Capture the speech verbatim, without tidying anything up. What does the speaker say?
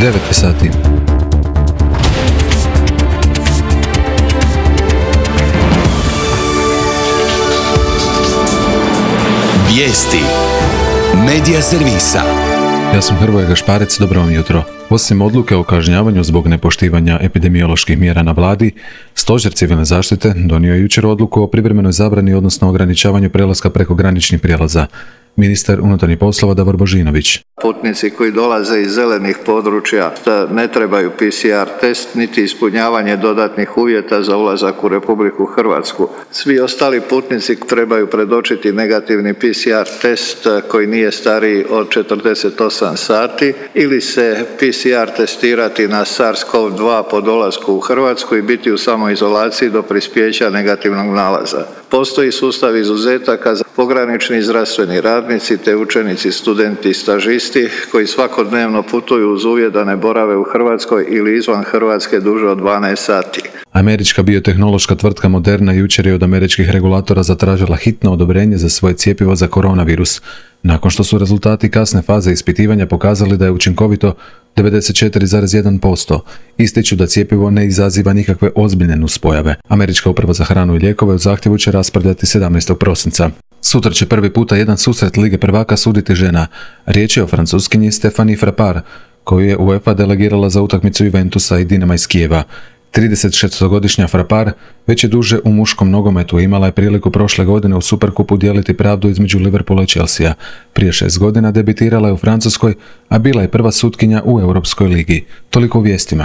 devet sati. Vijesti Medija servisa. Ja sam Hrvoje Gašparec, dobro vam jutro. Osim odluke o kažnjavanju zbog nepoštivanja epidemioloških mjera na vladi, Stožer civilne zaštite donio je jučer odluku o privremenoj zabrani, odnosno ograničavanju prelaska preko graničnih prijelaza. Ministar unutarnjih poslova Davor Božinović. Putnici koji dolaze iz zelenih područja ne trebaju P C R test niti ispunjavanje dodatnih uvjeta za ulazak u Republiku Hrvatsku. Svi ostali putnici trebaju predočiti negativni P C R test koji nije stariji od četrdeset osam sati ili se P C R testirati na SARS-CoV dva po dolasku u Hrvatsku i biti u samoizolaciji do prispjeća negativnog nalaza. Postoji sustav izuzetaka za pogranični zdravstveni radnici te učenici, studenti i stažisti koji svakodnevno putuju uz uvjet da ne borave u Hrvatskoj ili izvan Hrvatske duže od dvanaest sati. Američka biotehnološka tvrtka Moderna jučer je od američkih regulatora zatražila hitno odobrenje za svoje cjepivo za koronavirus, nakon što su rezultati kasne faze ispitivanja pokazali da je učinkovito devedeset četiri zarez jedan posto. Ističu da cjepivo ne izaziva nikakve ozbiljne nuspojave. Američka uprava za hranu i lijekove u zahtjevu će raspravljati sedamnaestog prosinca. Sutra će prvi puta jedan susret Lige prvaka suditi žena. Riječ je o francuskinji Stéphanie Frappart, koju je UEFA delegirala za utakmicu Juventusa i Dinama iz Kijeva. tridesetšestogodišnja Frappart već je duže u muškom nogometu, imala je priliku prošle godine u Superkupu dijeliti pravdu između Liverpoola i Chelsea. Prije šest godina debitirala je u Francuskoj, a bila je prva sutkinja u Europskoj ligi. Toliko u vijestima.